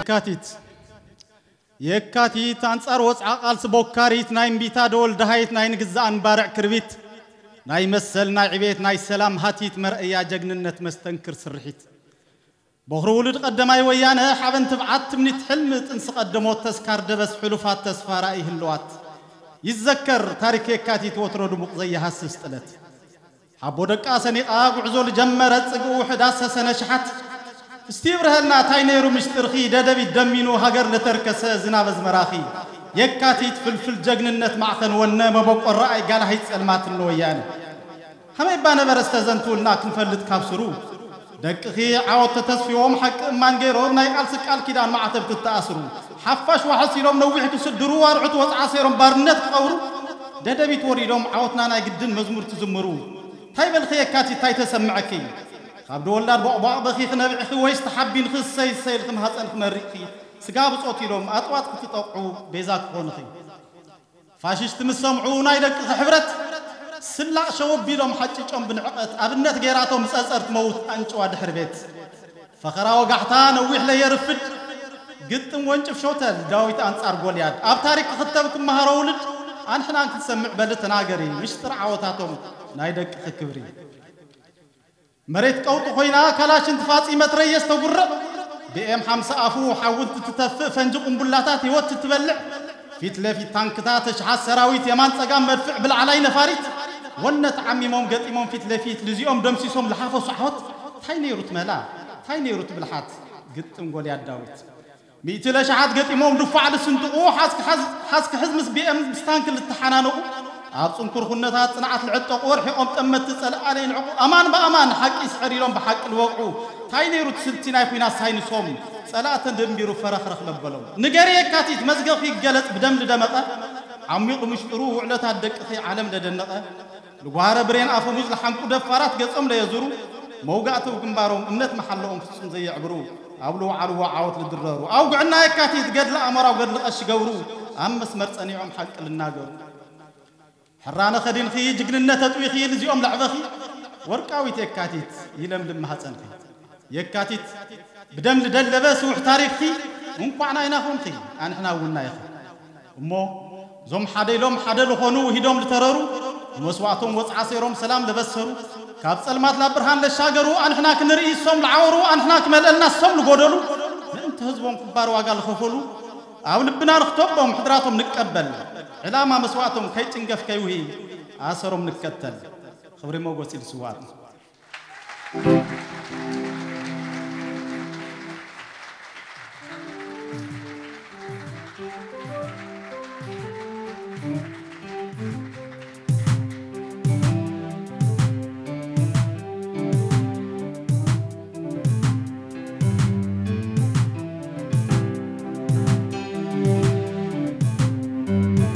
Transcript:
የካቲት የካቲት ኣንጻር ወጽዓ ቃልሲ ቦካሪት ናይ እምቢታ ደወል ደሃይት ናይ ንግዛኣን ባርዕ ክርቢት ናይ መሰል ናይ ዕቤት ናይ ሰላም ሃቲት መርኣያ ጀግንነት መስተንክር ስርሒት ቦኽሪ ውሉድ ቀደማይ ወያነ ሓበን ትብዓት ትምኒት ሕልሚ ጥንሲ ቀደሞት ተስካር ደበስ ሕሉፋት ተስፋ ራእይ ህልዋት ይዘከር ታሪክ የካቲት ወትሮ ድሙቕ ዘየሃስስ ጥለት ሓቦ ደቃ ሰኒቓ ጉዕዞ ልጀመረ ጽግኡ ሕዳስ ሰሰነ ሽሓት እስቲ ብርሀልና ታይ ነይሩ ምሽጥርኺ ደደቢት ደሚኑ ሃገር ለተርከሰ ዝናብ ኣዝመራኺ የካቲት ፍልፍል ጀግንነት ማዕኸን ወነ መበቆ ረኣይ ጋላሂት ጸልማት ንወያነ ከመይ እባ ነበረ ዝተዘንትውልና ክንፈልጥ ካብ ስሩ ደቅኺ ዓወት ተተስፊዎም ሓቂ እማን ገይሮም ናይ ቃልሲ ቃል ኪዳን ማዕተብ ትተኣስሩ ሓፋሽ ዋሕስ ኢሎም ነዊሕ ክስድሩ ኣርዑት ወፅዓ ሰይሮም ባርነት ክቐብሩ ደደቢት ወሪዶም ዓወትና ናይ ግድን መዝሙር ትዝምሩ ታይ በልኺ የካቲት ታይ ተሰምዐኪ ካብ ድወላድ ቦቕቧቕ በኺ ክነብዕኺ ወይስ ተሓቢንኺ እሰይ እሰይ ኢልኺ ማህፀንኺ መሪቕኺ ስጋ ብፆት ኢሎም ኣጥዋት ክትጠቕዑ ቤዛ ክኾንኺ ፋሽስት ምስ ሰምዑ ናይ ደቅኺ ሕብረት ስላቕ ሸው ኣቢሎም ሓጭጮም ብንዕቐት ኣብነት ገይራቶም ጸጸር ትመውት ኣንጭዋ ድሕሪ ቤት ፈኸራ ወጋሕታ ነዊሕ ለየርፍድ ግጥም ወንጭፍ ሾተል ዳዊት ኣንጻር ጎልያድ ኣብ ታሪክ ክኽተብ ክመሃሮ ውልድ ኣንሕናን ክትሰምዕ በሊ ተናገሪ ምሽጥር ዓወታቶም ናይ ደቅኺ ክብሪ መሬት ቀውጢ ኮይና ካላሽን ትፋጺ መትረየስ ተጉርዕ ብኤም ሓምሳ ኣፉ ሓዊ እንትትተፍእ ፈንጂ ቁምቡላታት ህይወት ትትበልዕ ፊት ለፊት ታንክታት ተሽሓት ሰራዊት የማን ጸጋም መድፍዕ ብላዕላይ ነፋሪት ወነ ተዓሚሞም ገጢሞም ፊት ለፊት ልዚኦም ደምሲሶም ልሓፈሱ ዓወት ታይ ነይሩ ትመላ ታይ ነይሩ ትብልሓት ግጥም ጎልያድ ዳዊት ሚእቲ ለሽሓት ገጢሞም ድፋዕ ልስንጥቑ ሓዝኪ ሓዝ- ሓዝኪ ሕዝ ምስ ቢኤም ምስ ታንክ ልተሓናነቑ ኣብ ጽንኩር ኩነታት ጽንዓት ልዕጠቑ ርሒቖም ጠመትቲ ጸላእቲ ለይልዕቑ ኣማን ብኣማን ሓቂ ይስዕር ኢሎም ብሓቂ ልወቕዑ ታይ ነይሩ እቲ ስልቲ ናይ ኲናት ሳይንሶም ጸላእተን ደንቢሩ ፈረኽረኽ ለበሎም ንገሪ የካቲት መዝገብኪ ይገለጽ ብደም ልደመቐ ዓሚቑ ምሽጥሩ ውዕለታት ደቅኺ ዓለም ለደነቐ ልጓረ ብሬን ኣፈሙዝ ልሓንቁ ደፋራት ገጾም ለየዙሩ መውጋእተው ግንባሮም እምነት መሓለኦም ፍጹም ዘየዕብሩ ኣብ ልወዓልዎ ዓወት ልድረሩ ኣውግዕና የካቲት ገድሊ ኣሞራው ገድሊ ቀሺ ገብሩ ኣብ መስመር ጸኒዖም ሓቂ ልናገሩ ሕራነ ኸዲንኺ ጅግንነት ኣጥዊኺ ልዚኦም ለዕበኺ ወርቃዊት የካቲት ይለምልም ማህፀንኺ የካቲት ብደም ልደለበ ስውሕ ታሪኽኺ እንኳዕ ናይና ኾንኺ ኣንሕና እውን ናይኺ እሞ እዞም ሓደ ኢሎም ሓደ ልኾኑ ውሂዶም ልተረሩ ብመስዋእቶም ወፅዓ ሰይሮም ሰላም ለበሰሩ ካብ ፀልማት ላብ ብርሃን ለሻገሩ ኣንሕና ክንርኢ እሶም ልዓወሩ ኣንሕና ክመልአልና እሶም ልጎደሉ ምእንቲ ህዝቦም ክባር ዋጋ ልኸፈሉ ኣብ ልብና ንኽተቦም ሕድራቶም ንቀበል ዕላማ መስዋእቶም ከይጭንገፍ ከይውሂ ኣሰሮም ንከተል ክብሪ ሞጎስ ኢሉ ስዋኣትና